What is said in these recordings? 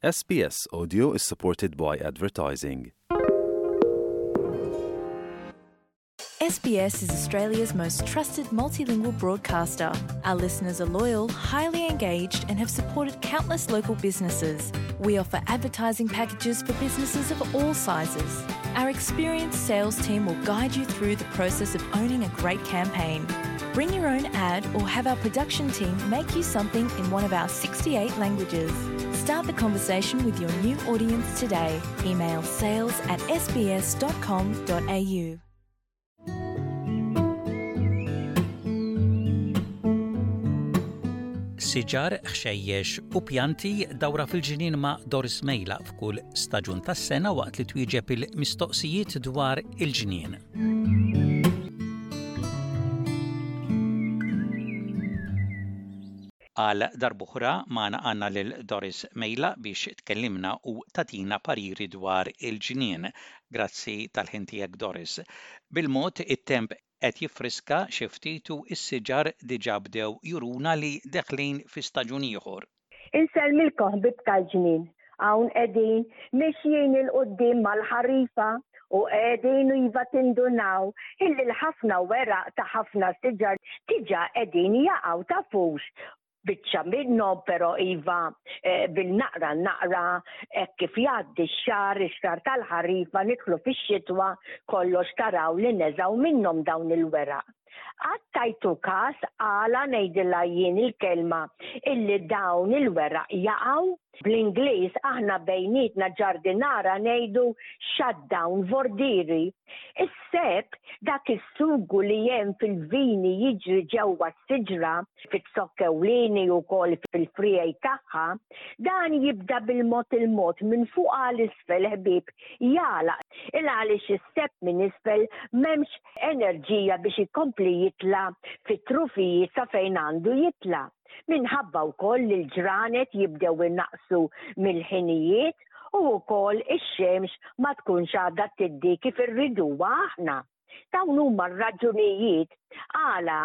SBS Audio is supported by advertising. SBS is Australia's most trusted multilingual broadcaster. Our listeners are loyal, highly engaged, and have supported countless local businesses. We offer advertising packages for businesses of all sizes. Our experienced sales team will guide you through the process of owning a great campaign. Bring your own ad or have our production team make you something in one of our 68 languages. Start the conversation with your new audience today. Email sales at sbs.com.au. Siġar, ħxejjex u pjanti dawra fil-ġnien ma' Doris Mejla f'kull staġun tas-sena waqt li twieġeb il-mistoqsijiet dwar il-ġnien. Għal darb'oħra magħna għandna lil Doris Mejla biex tkellimna u tagħtina pariri dwar il-ġnien. Grazzi tal-ħin tiegħek Doris. Bil-mod it-temp qed jiffriska xi ftit u s-siġar diġà bdew juruna li deħlin fi staġun ieħor. Insellmilkom ħbieb tal-ġnien. Hawn qegħdin mixjin 'il quddiem mal-ħarifa u qegħdin iva tindunaw illi l-ħafna weraq ta' ħafna siġar diġà qegħdin jaqgħu tafux biċċa minnhom però iva eh, bil-naqra naqra hekk kif jgħaddi x-xahar, ix-xahar tal-ħarifa nidħlu fix-xitwa kollox taraw li neżgħu minnhom dawn il-weraq. Qatt tajtu każ għala ngħidilha jien il-kelma illi dawn il-weraq jaqgħu? Bl-Ingliż aħna bejnietna ġardinara ngħidu shutdown vordieri. Is-seb, dak is-sugu li hemm fil-vini jiġri ġewwa s-siġra, fiz-zokk ewlieni wkoll fil-friegħi tagħha, dan jibda bil-mod il-mod minn fuq għal isfel ħbieb jagħlaq il għaliex is-seb minn isfel m'hemmx enerġija biex ikompli jitla' fit-trufijiet sa fejn għandu jitla'. Minħabba wkoll li l-ġranet jibdew inaqqsu mill-ħinijiet u wkoll ix-xemx ma tkunx għadha tiddi kif irriduha aħna. Dawn huma r-raġunijiet għala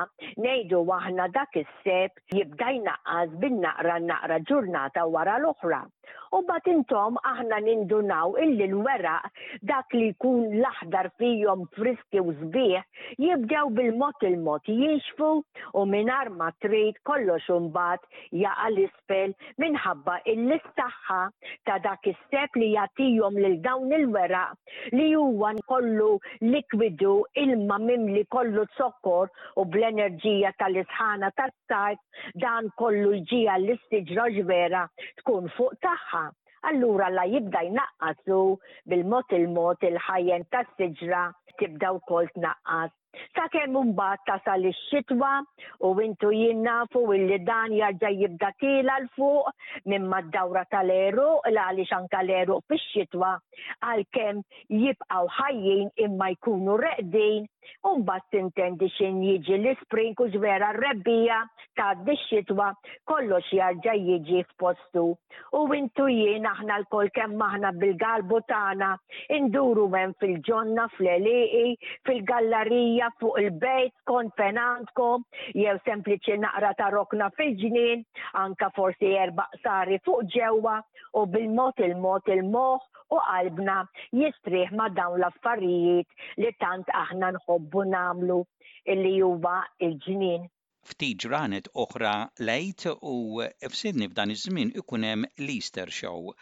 ngħidu aħna dak is-seb jibda jnaqqas bin-naqra naqra ġurnata wara l-oħra. U mbagħad intom aħna nindunaw illi l-weraq dak li jkun l-aħdar fihom friski u sbieħ jibdew bil-mod il-mod jinxfu u mingħajr ma trid kollox imbagħad jaqa' 'l isfel minħabba illi s-saħħa ta' dak is-seb li jagħtihom lil dawn il-weraq li huwa kollu likwidu ilma mimli kollu zokkor u bl-enerġija tal-isħana tas-sajf Dan kollu jġiegħel lis-siġra ġvera tkun fuq tagħha. Allura la jibda jnaqqas hu bil-mod il-mod il-ħajjen tas-siġra tibda wkoll tnaqqas. Sakemm imbagħad tasal ix-xitwa u intu jien nafu illi dan jarġa' jibda tiela' 'l fuq minn mad-dawra tal-għeruq l għaliex anke l-għeruq fix-xitwa għalkemm jibqgħu ħajjin imma jkunu reqdin u mbagħad tintendi x'in jiġi l-ispring u vera r-rebbiegħa tgħaddi x-xitwa kollox jarġa' jiġi f'postu. U intu jien aħna lkoll kemm aħna bil-galbu tagħna induru hemm fil-ġonna, fl-għelieqi, fil-gallarija, fuq il-bejt skont fejn għandkom, jew sempliċi naqra ta' rokna fil-ġnien, anka forsi erba' qsari fuq ġewwa u bil-mod il-mod il-moħħ u qalbna jistrieħ ma' dawn l-affarijiet li tant aħna nħobbu nagħmlu illi huwa l-ġnien. Ftit ġranet oħra l-Għid u f'Sydney f'dan iż-żmien ikun hemm l-Easter Show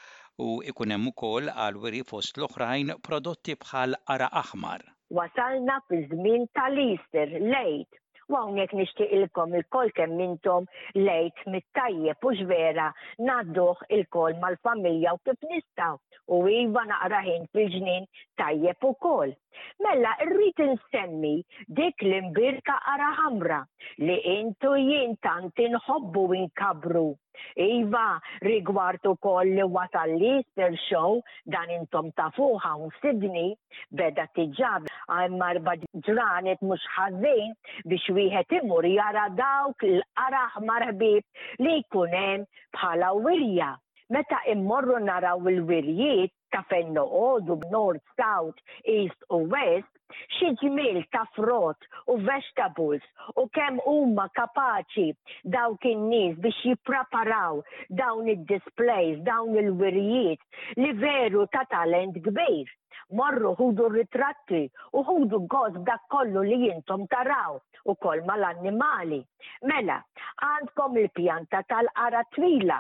u ikun hemm ukoll għall-wiri fost l-oħrajn prodotti bħal qara' aħmar. Wasalna fiż-żmien tal-Easter, l-Għid, U hawnhekk nixtieqilkom ilkoll kemm intom l-Għid mit-tajjeb hux vera ngħadduh ilkoll mal-familja u kif nistgħu u iva naqra ħin fil-ġnien tajjeb ukoll. Mela rrid insemmi dik l-imbierka qara ħamra li int u jien tant inħobbu inkabbru. Iva, rigward ukoll li wasal l-Easter Show, dan intom tafuh hawn f'Sydney, beda diġà hemm erba' ġranet mhux ħażin biex wieħed imur jara dawk l-qara aħmar ħbieb li jkun hemm bħala wirja. Meta immorru naraw il-wirjiet ta' fejn noqogħdu North, South, East u West, xi ġmiel ta' frott u vegetables u kemm huma kapaċi dawk in-nies biex jippreparaw dawn id-displays, dawn il-wirjiet li veru ta' talent kbir. Morru ħudu r-ritratti u ħudu gost b'dak kollu li intom taraw ukoll mal-annimali. Mela, għandkom il-pjanta tal-qara twila,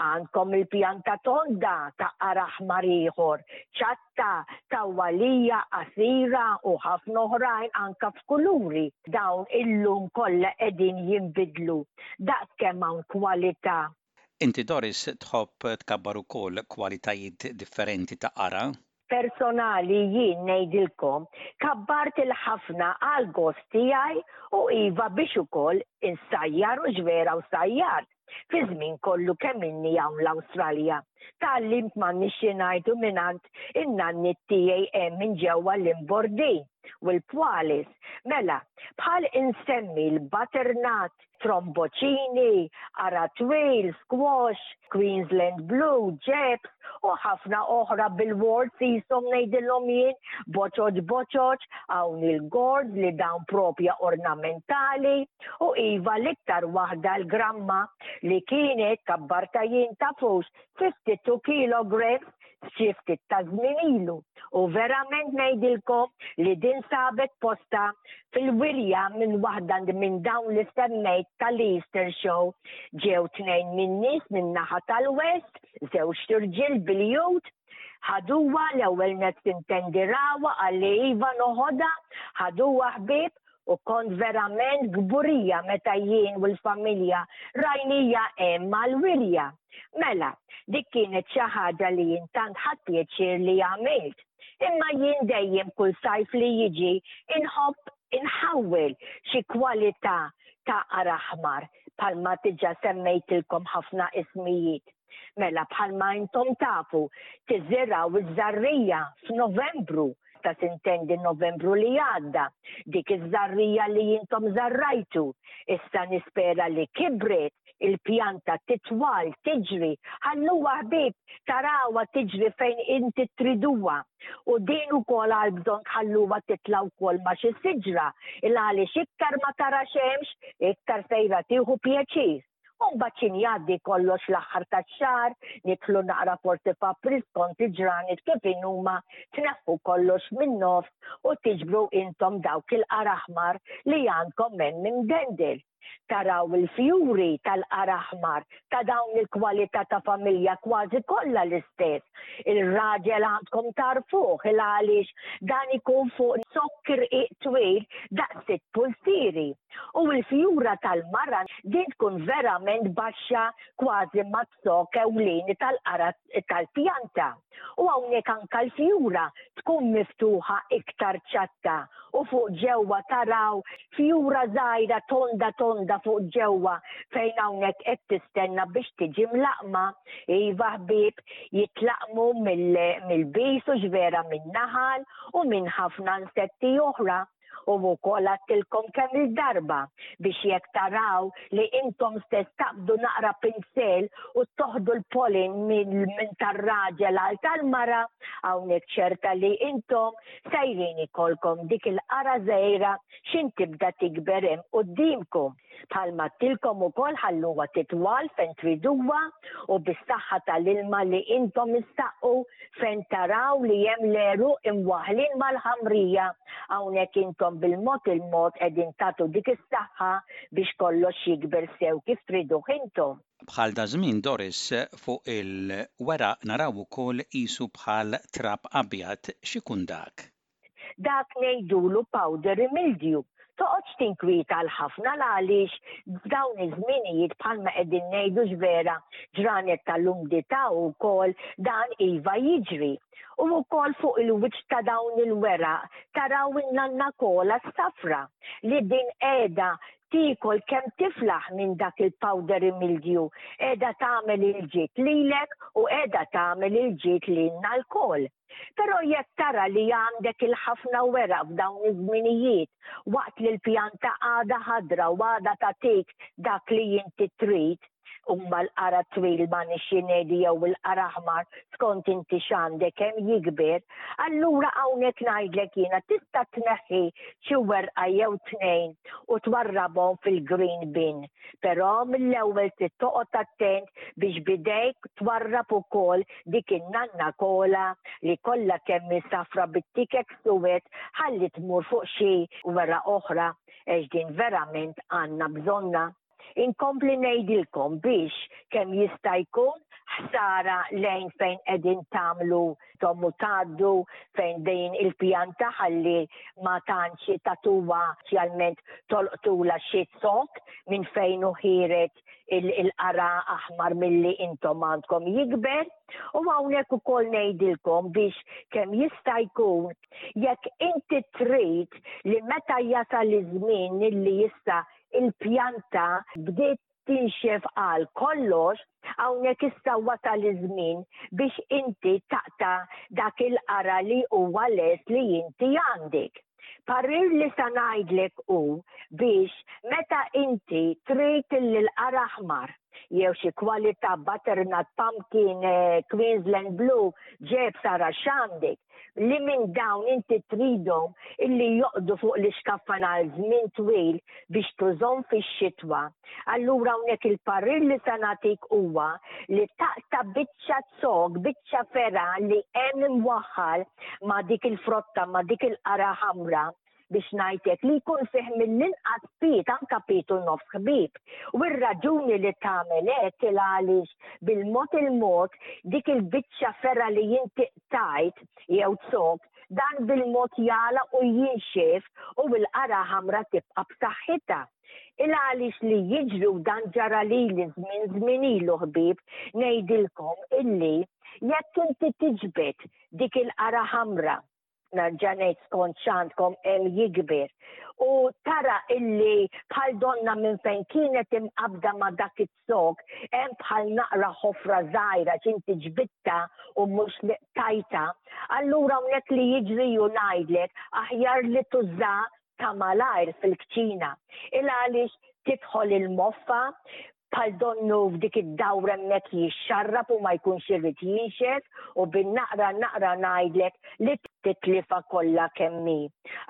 għandkom il-pjanta tonda ta' qara aħmar ieħor, ċatta, tawwalija, qasira u ħafna oħrajn anka f'kuluri. Dawn illum kollha qegħdin jinbidlu daqs kemm hawn kwalità. Inti Doris tħobb tkabbar ukoll kwalitajiet differenti ta' qara? Personali jien ngħidilkom kabbart il-ħafna għal gost tiegħi u iva biex ukoll insajjar u x'vera u sajjart fi żmien kollu kemm inni hawn l-Awstralja. Tgħallimt m'għandniex xi ngħidu mingħand in-nanniet tiegħi hemm minn ġewwa l-Imbordin u l-Pwalis. Mela, bħal insemmi l-butternut, tromboċini, qara twil, squash, Queensland Blue, ġebs u ħafna oħra bil-warts qishom ngħidilhom jien, boċoċ boċoċ, hawn il-gourds li dawn propja ornamentali u iva l-iktar waħda l-gramma li kienet kabbarta jien tafux 52 kilograms xi ftit ta' żmien ilu u verament ngħidilkom li din sabet postha fil-wirja minn waħda minn dawn li semmejt tal-Easter Show. Ġew tnejn min-nies min-naħa tal-West, żewġt irġiel bil-jut, ħaduha l-ewwel nett sintendi rawha qalli iva noħodha, ħaduha ħbieb u kont verament kburija meta jien u l-familja rajnija hemm għall-wirja. Mela, dik kienet xi ħaġa li jien tant ħadt pjaċir li għamilt. Imma jien dejjem kull sajf li jiġi inħobb inħawwel xi kwalità ta' qara aħmar bħalma diġà semmejtilkom ħafna ismijiet. Mela bħalma intom tafu tiżirgħu ż-żarrija f'Novembru ta' sintendi Novembru li għadda, dik iż-żarrija li intom żarrajtu. Issa nispera li kibret, il-pjanta titwal, tiġri, ħalluha ħbieb tarawha tiġri fejn inti triduha. U din ukoll għal bżonn tħalluha titla' wkoll ma' xi siġra, il għaliex iktar ma tara xemx, iktar sejra tieħu pjaċir. U mbagħad x'in jgħaddi kollox l-aħħar tax-xahar, nidħlu naqra forsi f'April skont il-ġranet kif inhuma, tneħħu kollox min-nofs u tiġbru intom dawk il-qar aħmar li għandkom hemm imdendel. Taraw il-fjuri tal-qar aħmar ta' dawn il-kwalità ta' familja kważi kollha l-istess. Il-raġel għandkom tagħrfuh il għaliex dan ikun fuq zokk irqiq twil daqs sitt pulsieri. U l-fjura tal-mara din tkun verament baxxa kważi maz-zokk ewlieni tal-qara tal-pjanta. U hawnhekk anke l-fjura tkun miftuħa iktar ċatta u fuq ġewwa taraw fjura żgħira tonda tonda fuq ġewwa fejn hawnhekk qed tistenna biex tiġi mlaqqma. Iva ħbieb, jitlaqqmu mill-bees u x'vera min-naħal u minn ħafna insetti oħra. U wkoll għadtilkom kemm-il darba biex jekk taraw li intom stess taqbdu naqra pinsel u toħdu l-pollen minn tar-raġel għal tal-mara, hawnhekk ċerta li intom sejrin ikollkom dik il-qara żgħira x'in tibda tikber hemm quddiemkom. Bħalma għadtilkom ukoll ħalluha titwal fejn triduha u bis-saħħa tal-ilma li intom issaqqu fejn taraw li hemm l-għeruq imwaħħlin mal-ħamrija, hawnhekk intom bil-mod il-mod qegħdin tagħtu dik is-saħħa biex kollox jikber sew kif triduh intom. Bħal daż-żmien Doris, fuq il-weraq naraw ukoll qisu bħal trab abjad, x'ikun dak? Dak ngħidulu powdery mildew. Toqgħodx tinkwieta għal ħafna l-għaliex f'dawn iż-żminijiet bħalma qegħdin ngħidu x'vera ġranet tal-umdità wkoll dan iva jiġri. U wkoll fuq il-wiċċ ta' dawn il-weraq taraw in-nanna kola s-safra li din qiegħda tiekol kemm tiflaħ minn dak il-powdery mildew qiegħda tagħmel il-ġid lilek u qiegħda tagħmel il-ġid lilna lkoll. Però jekk tara li għandek il-ħafna weraq f'dawn iż-żminijiet, waqt li l-pjanta għadha ħadra u għadha tagħtik dak li inti trid, huma l-qara twil ma nixxi ngħidu jew il-qara aħmar skont inti x'għandek hemm jikber, allura hawnhekk ngħidlek jiena tista' tneħħi xi werqa jew tnejn u twarrabhom fil-green bin. Però mill-ewwel trid toqgħod attent biex b'idejk twarrab ukoll dik in-nanna kola li kollha kemm hi safra bit-tikek suwed ħalli tmur fuq xi weraq oħra għax din verament għandna bżonnha. Inkompli ngħidilkom biex kemm jista' jkun ħsara lejn fejn qegħdin tagħmlu tom u tgħaddu fejn din il-pjanta ħalli ma tantx tagħtuha speċjalment tolqtula xi zokk minn fejn hu ħiereġ il-qara aħmar milli intom għandkom jikber. U hawnhekk ukoll ngħidilkom biex kemm jista' jkun jekk inti trid li meta jasal iż-żmien illi issa il-pjanta bdiet tinxef għal kollox, hawnhekk issa wasal iż-żmien biex inti taqta' dak il-qara li huwa lest li inti għandek. Parir li sa ngħidlek hu biex meta inti trid illi l-qara aħmar jew xi kwalità butternut, pumpkin, eh, Queensland Blue, ġeb sara x'għandek, li minn dawn inti tridhom illi joqdu fuq l-ixkaffa għal żmien twil biex tużhom fix-xitwa. Allura hawnhekk il-parir li se nagħtik huwa li taqta' biċċa zokk, biċċa fergħa li hemm imwaħħal ma' dik il-frotta, ma' dik il-qara ħamra biex ngħid hekk, li jkun fih mill-inqas piet, anke piet u nofs ħbieb. U r-raġuni li tagħmel hekk il għaliex bil-mod il-mod dik il-biċċa fergħa li inti qtajt jew zokk, dan bil-mod jagħlaq u jinxef u l-qara ħamra tibqa' b'saħħitha. Il għaliex li jiġri u dan ġara lili żmien żmien ilu ħbieb, ngħidilkom illi jekk inti tiġbed dik il-qara ħamra nerġa' ngħid skont x'għandkom hemm jikber. U tara illi bħal donna minn fejn kienet imqabda ma' dak iz-zokk hemm bħal naqra ħofra żgħira x'inti ġbidtha u mhux li qtajtha. Allura hawnhekk li jiġri hu ngħidlek aħjar li tuża ta' malajr fil-kċina. Il għaliex tidħol il-moffa, bħal donnu f'dik id-dawra hemmhekk jixxarrab u ma jkunx irid jinxef u bin-naqra naqra ngħidlek li titlifha kollha kemm hi.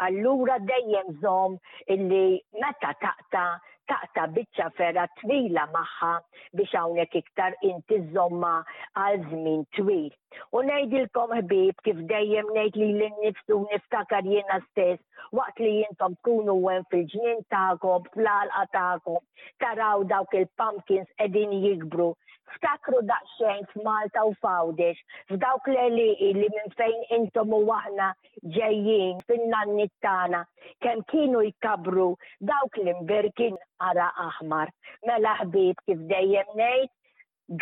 Allura dejjem żomm illi meta taqta' taqta' biċċa fergħa twila magħha biex hawnhekk iktar inti żżommha għal żmien twil. U ngħidilkom ħbieb kif dejjem ngħid lili nnifsi u niftakar jiena stess waqt li intom tkunu hemm fil-ġnien tagħkom, fl-għalqa tagħkom, taraw dawk il-pumpkins qegħdin jikbru. Ftakru daqsxejn f'Malta u f'Għawdex, f'dawk l-għelieqi li minn fejn intom u aħna ġejjin fin-nanniet tagħna, kemm kienu jkabbru dawk l-imbirkin qara aħmar. Mela ħbieb kif dejjem ngħid,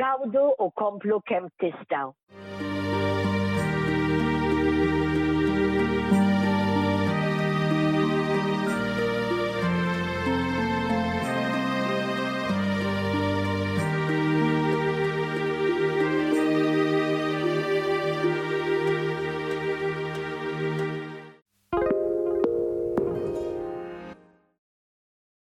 gawdu u komplu kemm tistgħu.